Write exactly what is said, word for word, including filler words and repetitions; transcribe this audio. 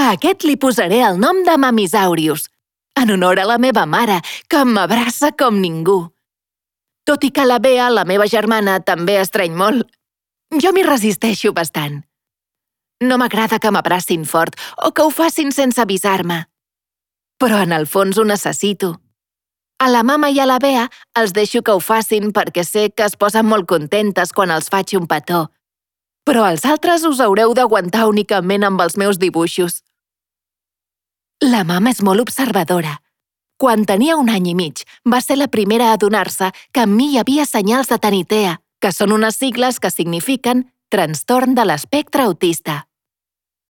A aquest li posaré el nom de Mamisaurius, en honor a la meva mare, que m'abraça com ningú. Tot i que la Bea, la meva germana, també estreny molt, jo m'hi resisteixo bastant. No m'agrada que m'abracin fort o que ho facin sense avisar-me. Però en el fons ho necessito. A la mama i a la Bea els deixo que ho facin perquè sé que es posen molt contentes quan els faig un petó. Però els altres us haureu d'aguantar únicament amb els meus dibuixos. La mama és molt observadora. Quan tenia un any i mig, va ser la primera a adonar-se que en mi hi havia senyals de Tanitea, que són unes sigles que signifiquen trastorn de l'espectre autista.